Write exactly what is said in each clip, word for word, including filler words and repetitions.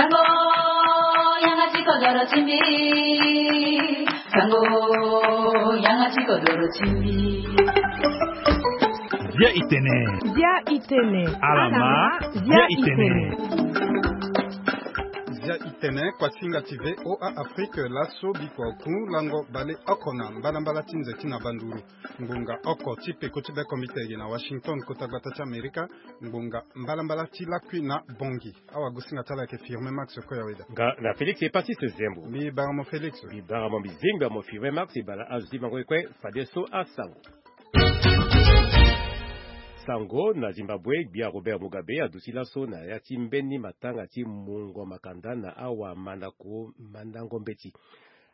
Sango, yanga ti kodoro ti mbi. Sango, yanga ti kodoro ti mbi. Zia itene. Zia itene. Alama. Zia itene. Zia itene, kuasinga ti V O A Afrique, laso bikua oku lango bale oko na mbalambala ti nze ti na banduru. Ngbonga oko ti peko ti bekombite gi na Washington, kota gbata ti Amerika. Ngbonga mbalambala ti lakui na Bongi. Awagosinga ti ala ayeke Firmin Max Koyaweda. Nga na Félix Epasis Zembo. Mbi bara mo Félix. Mbi bara mo, mbi zengba mo Firmin Max, e bara azo ti bango e kue fadeso asango. Sango na Zimbabwe, gbia Robert Mugabe aduti laso na ya ti mbeni matanga ti mungo makanda na awamandako mandango mbeti.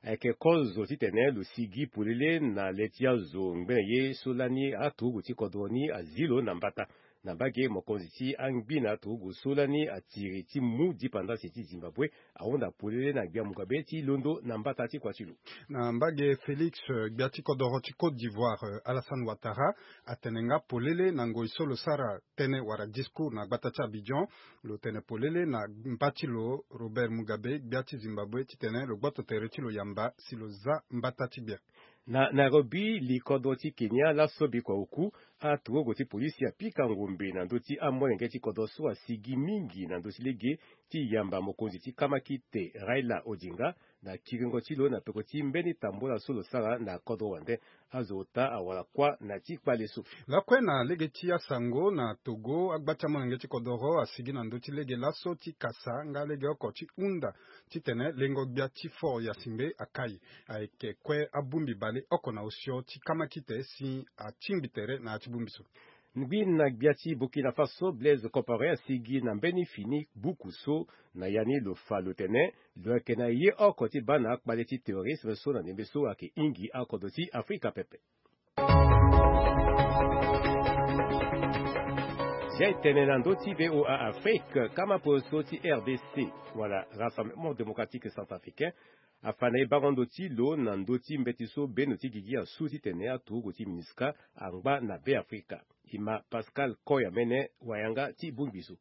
Ayeke kozo titene lo sigi polele na le ti azo ngbene ye so lani aturugu ti kodro ni azi lo na mbata. Na mbage, mokonzi ti angbi na aturugu so lani atiri ti mu dipandasi ti Zimbabwe ahunda polele na gbia Mugabe ti londo na mbata ti kua ti lo. Na mbage Félix, eh, gbia ti kodoro ti Côte d'Ivoire, eh, Alassane Ouattara, atene nga polele na ngoi so lo sara tënë wala discours na gbata ti Abidjan. Lo tene polele na mba ti lo Robert Mugabe, gbia ti Zimbabwe, titene lo gboto tere ti lo yamba si lo za mbata ti gbia. Na Nairobi, likodro ti Kenya, laso bikua oku, aturugu ti polisi apika ngombe na ndö ti amolenge ti kodro so asigi mingi na ndö ti lege ti yamba mokonzi ti kamakite Raila Odinga na kiringo ti lo na peko ti mbeni tambola so lo sara na kodro wande. Azo ota awara kuâ na ti kpale so. Lakue na lege ti asango na Togo, agba ti amolenge ti kodoro asigi na ndö ti lege laso ti kasa nga lege oko ti hunda titene lengo gbia ti fort Yasimbe akai. Ayeke kue abongbi bale oko na osio ti kamakite si atingbi tere na ya ti bongbi so. Ngbi na gbia ti Burkina Faso, Blaise Compaoré asigi na mbeni fini buku so na ya ni lo fa lo tene lo yeke na ye oko ti baa na akpale ti terrorisme so na ndembe so ayeke hingi akodro ti Afrika pepe. Zia e tene na ndö ti V O A Afrique, kama poroso ti R D C, wala Rassemblement Démocratique Centrafricain, afa na e bango ndo ti lo na ndö ti mbeti so beno ti gigi asu titene aturugu ti MINUSCA angba na Beafrika. E ma Pascal Koyamene, wayanga ti bongbi so.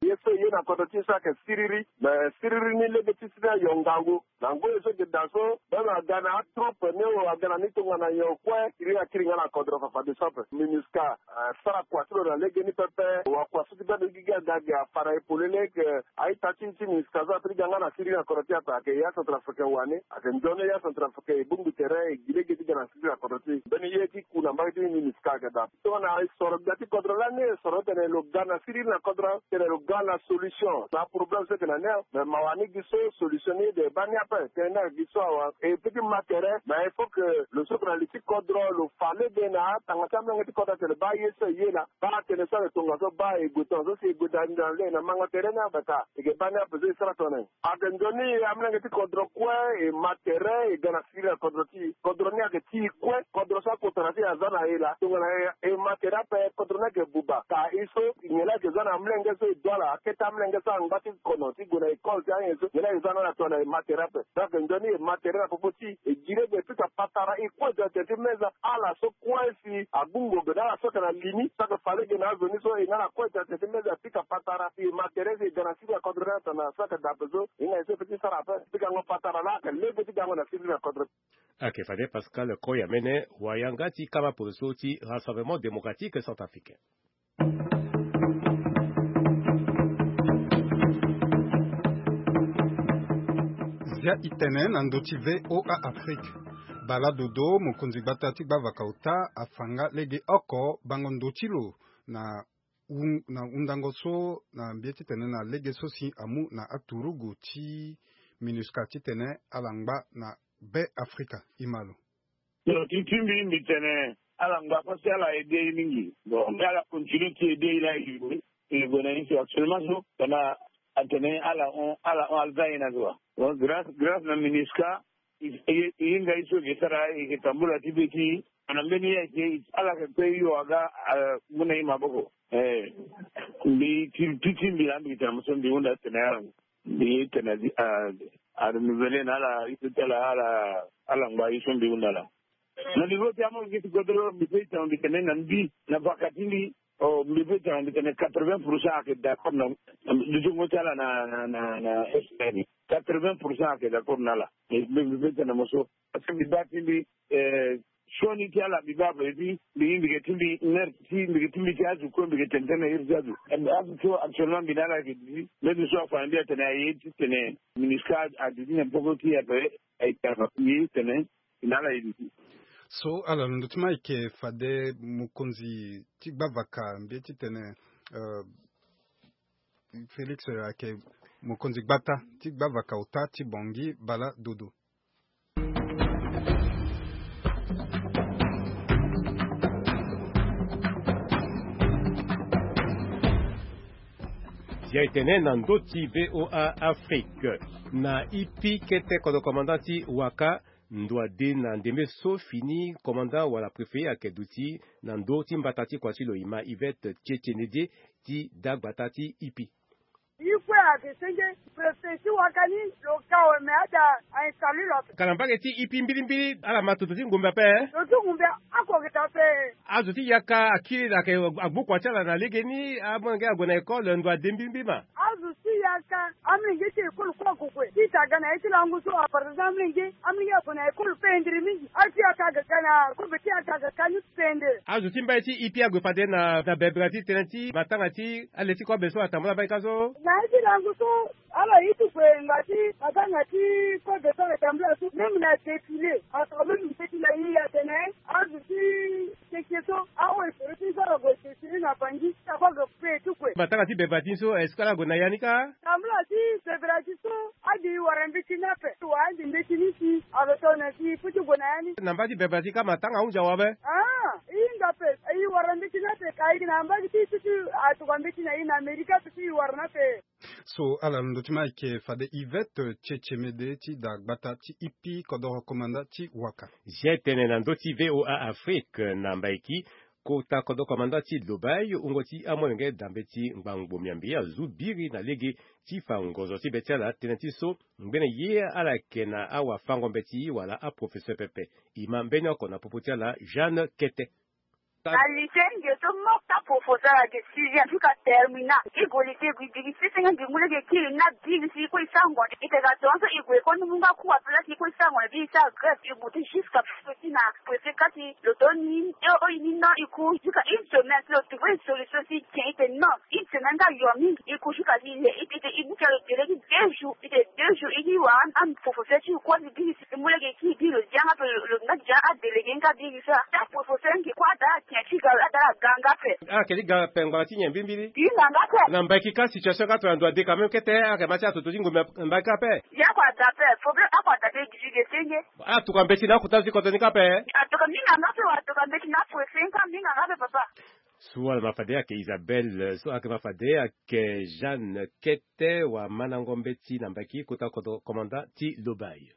Ye so e ye na kodro ti e so ayeke siriri. Me siriri ni lege ti si ni ayo ngangu. Na ngoi so e yeke daa so, beno aga na atroupe ni, o aga na ni tongana nyon kue, siriri akiri nga na kodro fafadeso ape. MINUSCA, eh, sara kua ti lo na legeni pepe. Wakua so ti beno gigi aga ge afa na e polele ke a-ita ti, ti MINUSCA so ape ti ga nga na siriri na kodro ti e ape, ayeke ya Centrafricain wani. Ayeke nzoni ya Centrafricain e bongbi tere, e gi lege ti ga na siriri na kodro ti e. Mbeni ye ti ku na mbage ti MINUSCA ayeke daa. Tongana e soro gbia ti kodro lani, e soro tene lo ga na siriri na kodro, tene lo ga na solution na aproblème so ayeke na ni. Me mawa ni gi so solution ni e de baa ni ape. Tënë ni ayeke gi so awe. E peut ti ma tere, mais il faut que lo sokue na li ti kodro, lo fa lege na atanga ti amolenge ti kodro atene baa ye so e ye laa, baa tënë so ayeke tongaso, baa e gue tongaso, si e gue daa ni na le na mango tere ni abata. E yeke baa ni ape so e sara tongana nyen? Ayeke nzoni, amolenge ti kodro kue e ma tere, e ga na siriri na kodro ti e. Kodro ni ayeke ti e kue, kodro so akota na ti e aza na e laa. Tongana e, e ma tere ape, kodro ni ayeke buba. Ka e so, nyen la ayeke za na amolenge so e dua laa, akete amolenge so angba ti kono ti gue na école ti anyen so, nyen la e za na ala tongana e ma tere ape. Donc nzoni e ma tere na popo ti e, e gi lege e pika patara, e kue tene ti meza ala so kue si agbu ngombe na ala so ayeke na li ni, so ayeke fa lege na azo ni so, e na ala kue tene ti meza e pika patara, e ma tere si e ga na siriri na kodro ni atene na so ayeke daa ape so, e hinga e so e peut ti sara ape. Pikango patara laa ayeke lege ti gango na siriri na kodro. Ayeke fade Pascal Koyamene, wayanga ti kama poroso ti Rassemblement Démocratique Centrafricain. Zia e tene na ndö ti V O A Afrique. Bala Dodo, mokonzi gbata ti gbavaka ota, afa nga lege oko bango ndo ti lo na, na hundango so na mbi ye titene na lege so si amu na aturugu ti MINUSCA titene ala ngba na Beafrika. E ma lo. Ti, ti mbi, mbi tene ala ngba parce que ala aidé e mingi. Bon, mais ala continue ti aidé e laa e gue, e gue na ye so actuellement so, pendant atene ala hon, ala hon, ala za e na zo wa. Bon, grâce, grâce na MINUSCA, e, e, e hinga e so e ke sara, e ke tambula ti be ti e. Na mbeni ye ayeke, ala yeke pe hio aga, eh, mu na e maboko. Eh, mbi ti, ti, ti mbi laa mbi tene mo so mbi hunda tene ala. Mbi tene a, a renouveler na ala, ye so ti ala, ala, ala ngba ye so mbi hunda laa. Na niveau ti amolenge ti kodro, mbi pe e tene mbi tene na mbi, na vaka ti mbi, Oh, mbi pe tene mbi tene quatre-vingts pour cent ayeke d'accord na, na, na, na, na, na S P N. Quatre-vingts pour cent ayeke d'accord na ala. Mbi, mbi, mbi pe tene mo so. Parce que mbi baa ti mbi, eh, sioni ti ala mbi baa boye ti mbi, mbi yeke ti mbi, nerf ti mbi yeke ti mbi ti azo kue, mbi yeke tene tënë na iri ti azo. Eh, azo so actuellement mbi na ala yeke duti. Mbeni so afa na mbi atene aye ti tene MINUSCA aduti na poko ti ape, ayeke afa mbi tene mbi na ala ye duti. So ala londo ti ma ayeke fade mokonzi ti gbavaka mbi ye ti tene, eh, Félix ayeke mokonzi gbata ti gbavaka ota ti Bangui, Bala Dodo. Zia e tene na ndö ti V O A Afrique, na ipi kete kodro commandant ti Waka, ndo ade na ndembe so fini commandant wala préfet ayeke duti na ndö ti mbata ti kua ti lo, ima Yvette Tchetchenedie, ti da gbata ti ipi. Ye kue ayeke senge, préfet ti Waka ni lo ka awe, me ada a installe lo ape. Ka na mbage ti ipi mbilimbili ala ma toto ti ngumbe ape. Toto ti ngumbe ako ayeke daa ape. Azo ti yaka akiri ayeke agbu kua ti ala na legeni, amolenge ague na école ndo ade mbilimbili ma. Azo ti yaka, amolenge ti école kue ague kue. Ti ta ga na ye ti lango so, à partir ti amolenge, amolenge ague na école pendere mingi. Azo ti yaka aga ka na kobe ti yaka aga ka ni pendere. Azo ti mbai ti ipi ague fade na, na bebera ti tënë ti matanga ti ale ti kobe so atambula mbai ka so. Na ye ti lango so, ala ye ti gue ngba ti matanga ti kobe so atambula so, même na défilé, ato même défilé ye atene azo ti Keke so, awe soro ti so ala gue sesiri na Bangui, ti ako aga pe ti kue. Matanga ti bebera ti so, est-ce que ala gue na ya ni kâ? Tambula ti bebera ti so, ade e wara mbeti ni ape. Wa ade mbeti ni si, alo tongana si e peut ti gue na ya ni. Na mba ti bebera ti kâ matanga ahunzi awe ape? Ah, e hinga ape, e wara mbeti ni ape, ka e yeke na mba ti, ti, ti, atokua mbeti na e na Amerika ape, ti e wara ni ape. So ala londo ti ma ayeke fade Yvette Tchetchemede ti da gbata ti ipi kodoro komanda ti Waka. Zia e tene na ndö ti V O A Afrique na Mbaiki, kota kodoro komanda ti Lobaye, wungo ti amolenge dambe ti ngbangbo miambe azu biri na lege ti fa ngozo ti be ti ala. Tënë ti so ngbene ye ala yeke na awafango mbeti wala aprofesseur pepe. Ima mbeni oko na popo ti ala, Jeanne Kete. Na lycée nge so moko ti aprofesseur ayeke sixième jusqu'à terminale. E gue lycée, e gue e biri sese nga ngingu lege kiri ni abiri si e kue e sara ngonde. E tene tongaso e gue e koni mu nga cours ape la si e kue e sara ngonde, e biri e sara grève, e gue ti jusqu'à préfet ti na préfet kâ si lo to ni e o e ni non, e cours jusqu'à une semaine si lo trouve une solution si e tien. E tene non, une semaine nga yo mingi. E cours jusqu'à si e, e, e, e bouka lo délai ti deux jours. E tene deux jours e ni wara, ah, professeur ti e kue si biri si e mu lege kiri biri lo dia nga ape, lo, lo nga dia adélégué nga biri so. Ti aprofesseur nge kue ada atien ti ga, ada aga nga ape. Ala yeke ti ga ape ngbanga ti nyen mbilimbili? Hinga nga ape. Na Mbaiki kâ situation kâ tongana ndo ade quand même kete, ayeke ma ti atoto ti ngombe na Mbaiki ape. Ya kue ada ape, problème ako ada ape, gi gi ge senge. Ala tokua mbeti na akota ti kodro ni kâ ape. Atokua mingi nga ape, wa atokua mbeti na préfet ni kâ mingi nga ape papa. So ala ma fade ayeke Isabelle, so ayeke ma fade ayeke Jeanne Kete, wa mandango mbeti na Mbaiki, kota kodro komanda ti Lobaye.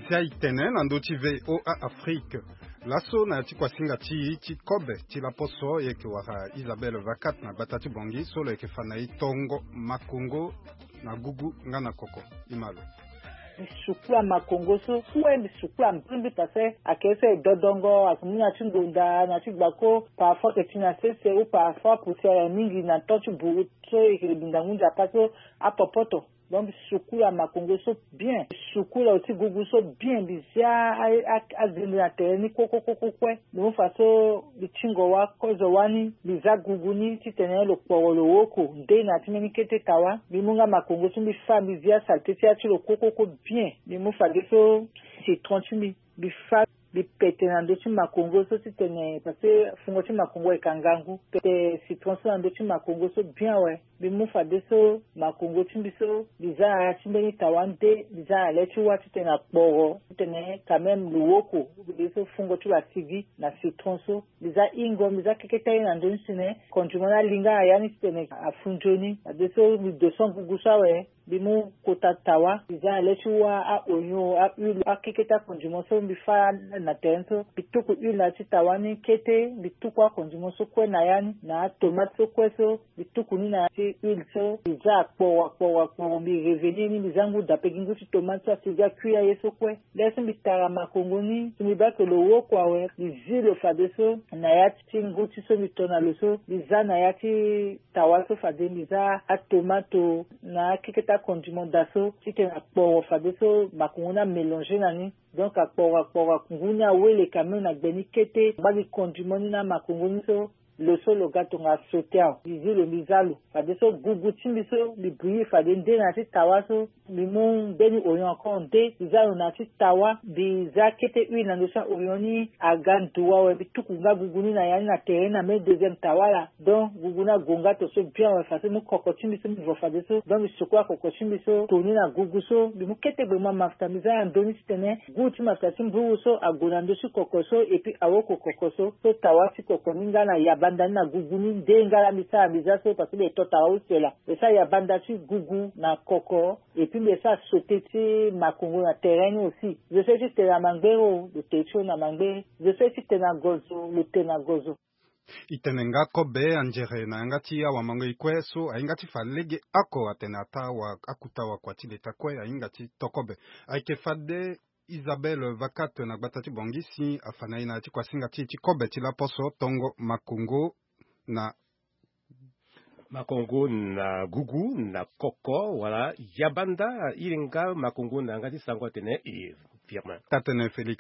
Zia e tene na ndö ti V O A Afrique. Laso na ya ti kuasinga ti, ti kobe ti laposo, e yeke wara Isabelle Vakat na gbata ti Bangui so lo yeke fa na e tongo makongo na gugu nga na koko. Ima lo. Mbi sukula makongo so kue, mbi sukula mbrimbri parce que ayeke so e dodongo, ayeke mu na ya ti ngonda, na ya ti gbako, parfois ayeke ti na sese ou parfois poussière mingi na temps ti buru so e yeke binda ngu nzapa so apopoto. Donc mbi sukula makongo so bien. Mbi sukula lo ti gugu so bien. Mbi zia a, a, azende na tere ni kue, kue, kue, kue, kue. Mbi mu fa so mbi tingo wa kozo wani, mbi za gugu ni titene lo kporo lo woko nde na ya ti mbeni kete tawa. Mbi mu nga makongo so mbi fâ, mbi zia saleté ti ya ti lo kue, kue, kue bien. Mbi mu fadeso citron ti mbi, mbi fâ. Mbi pete na ndö ti makongo so titene, parce que fungo ti makongo ayeke na ngangu. Pete citron so na ndö ti makongo so bien awe. Mbi mu fadeso makongo ti mbi so mbi za na ya ti mbeni tawa nde, mbi za na le ti wâ titene akporo, titene quand même lo woko. Fadeso fungo ti lo asigi na citron so. Mbi za hingo, mbi za keketa ye na ndö ni titene condiment ni alinga na ya ni titene afu nzoni. Fadeso mbi doso gugu so awe. Mbi mu kota tawa, mbi za na le ti wâ a-oignon, a-huile, akeketa condiment so mbi fâ na terrain so. Mbi tuku huile na ya ti tawa ni kete, mbi tuku acondiment so kue na ya ni, na atomate so kue so, mbi tuku ni na ya ti huile so. Mbi za akporo, akporo, akporo, mbi revenir ni, mbi za ngu dape gi ngu ti tomate so asi ga kui aye so kue. Lê so mbi tara makongo ni, so mbi baa ke lo woko awe, mbi zi lo fadeso na ya ti ngu ti so mbi to na lo so, mbi za na ya ti tawa so fade, mbi za atomato na akeketa condiment daa so, titene akporo fadeso makongo ni amélanger na ni. Donc akporo, akporo, ngu ni awele quand même na gbe ni kete, ngba gi condiment ni na makongo ni so, lo so lo ga tongana sauté awe. Mbi zi lo, mbi za lo. Fadeso gugu ti mbi so mbi bouillir fade nde na ya ti tawa so, mbi mu mbeni oignon encore nde, mbi za lo na ya ti tawa, mbi za kete huile na ndo so a-oignon ni aga ndu awe, mbi tuku nga gugu ni na ya ni na terrain ni na mbeni deuxième tawa laa. Donc gugu ni ague nga to so bien awe, fadeso mbi mu koko ti mbi so mbi vo fadeso. Donc mbi sukula koko ti mbi so, to ni na gugu so, mbi mu kete gbe mu amafuta, mbi za na ndo ni titene goût ti mafuta ti mburu so ague na ndö ti koko so, et puis awoko koko so, so tawa ti koko ni nga na yabanda ni na gugu ni nde nga laa mbi sara mbi za so, parce que mbi to tawa use laa. Mbi sara yabanda ti gugu na koko, et puis mbi sara sauté ti makongo na terrain ni aussi. Zo so ye ti tene na mangbere o, lo tene ti lo na mangbere. Zo so ye ti tene na gozo, lo tene na gozo. E tene nga kobe anzere na yanga ti awamango e kue so ahinga ti fa lege oko atene ataa wa, akuta wakua ti leta kue ahinga ti to kobe. Ayeke fade Isabelle Vacat na gbata ti Bangui si afa na e na ya ti kuasinga ti e ti kobe ti laposo tongo makongo na makongo na gugu na koko wala yabanda. Iringa makongo na yanga ti sango atene e Firmin. Tatene Félix.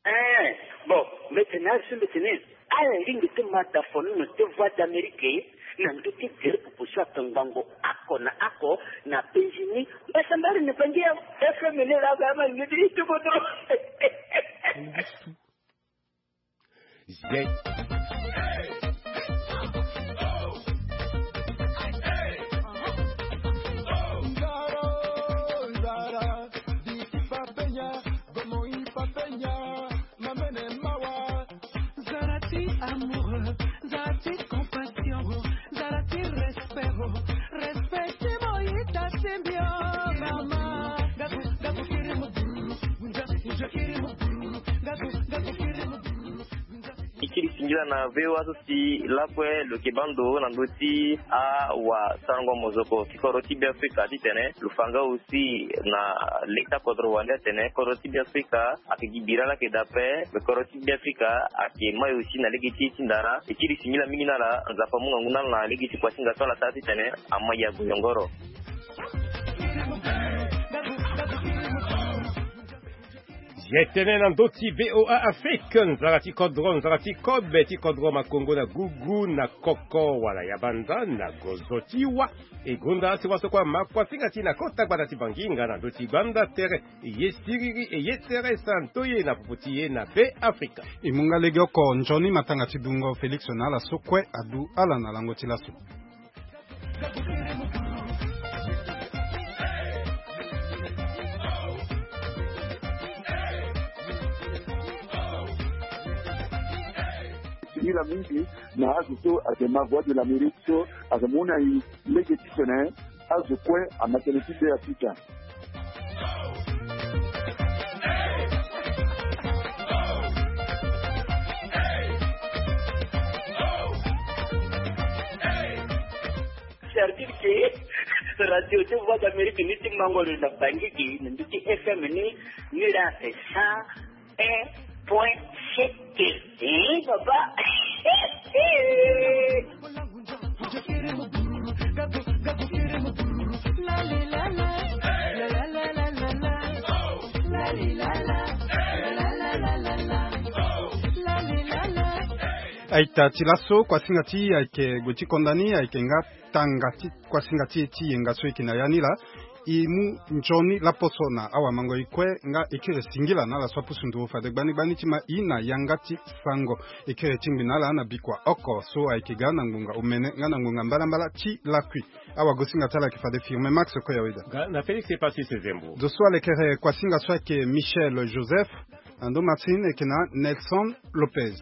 Eh, bon, mbi tene azo mbi tene ala lingbi ti ma da fonono ti Voix d'Amérique na ndö ti gere proposition atongbango oko na oko na Benjini. Mbasambari ni pangi ya F M ni la ba ma ngidi ti bodo. Zet. Zala ti amour, zala ti compassion, zala ti respect, respect ti moyita ti mbio mama. Gaku, gaku kiri mu, gaku, gaku kiri mu. E kiri singila na V O A so si lakue lo yeke baa ndo na ndö ti awasarango mozoko ti kodro ti Beafrika titene lo fa nga aussi na leta kodro wande atene kodro ti Beafrika ayeke gi bira laa ayeke daa ape. Me kodro ti Beafrika ayeke mai aussi na lege ti e ti ndara. E kiri singila mingi na ala, Nzapa amu ngangu na ala na lege ti kuasinga so ala sara titene amai ague yongoro. Ye tene na ndö ti V O A Afrique, nzara ti kodro, nzara ti kobe ti kodro makongo na gugu na koko wala yabanda na gozo ti wa. E gonda si wa so kue ama kuasinga ti e na kota gbata ti Bangui nga na ndö ti gbanda tere. E ye siriri, e ye tere santo ye na popo ti e na Beafrika. E mu nga legeoko nzoni matanga ti dungo Félix na ala so kue adu ala na lango ti laso. Singila mingi na azo so ayeke ma Voix de l'Amérique so ayeke mu na e lege titene azo kue ama tënë ti Beafrika. C'est-à-dire que radio ti Voix d'Amérique ni ti mango lo na Bangui gi na ndö ti F M ni, ni laa c'est cent un point sept. Eh, papa. Aita ti laso, kuasinga ti e ayeke gue ti konda ni, ayeke nga tanga ti kuasinga ti e ti yenga so e yeke na ya ni laa. E mu nzoni laposo na awamango e kue nga e kiri singila na ala so apusu nduru fade gbani gbani ti ma e na yanga ti sango. E kiri tingbi na ala na bikua oko so ayeke ga na ngbonga omene nga na ngbonga mbalambala ti lakui. Awagosinga ti ala ayeke fade Firmin Max Koyaweda. Nga na Félix Epasis Zembo. Zo so alekere kuasinga so ayeke Michel Joseph. Na ndo Martine ayeke na Nelson Lopez.